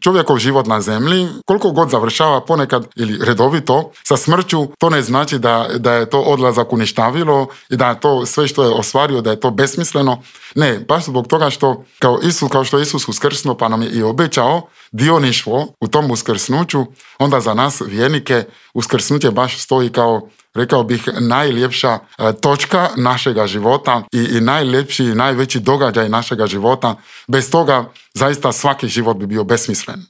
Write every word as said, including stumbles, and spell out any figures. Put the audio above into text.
čovjekov život na zemlji, koliko god završava ponekad ili redovito sa smrću, to ne znači da, da je to odlazak uništavilo i da je to sve što je ostvario, da je to besmisleno. Ne, baš zbog toga što kao, Isus, kao što je Isus uskrsnuo pa nam je i obećao dioništvo u tom uskrsnuću, onda za nas vjernike uskrsnuće baš stoji kao, rekao bih, najljepša e, točka našega života i, i najljepši i najveći događaj našega života. Bez toga zaista svaki život bi bio besmislen.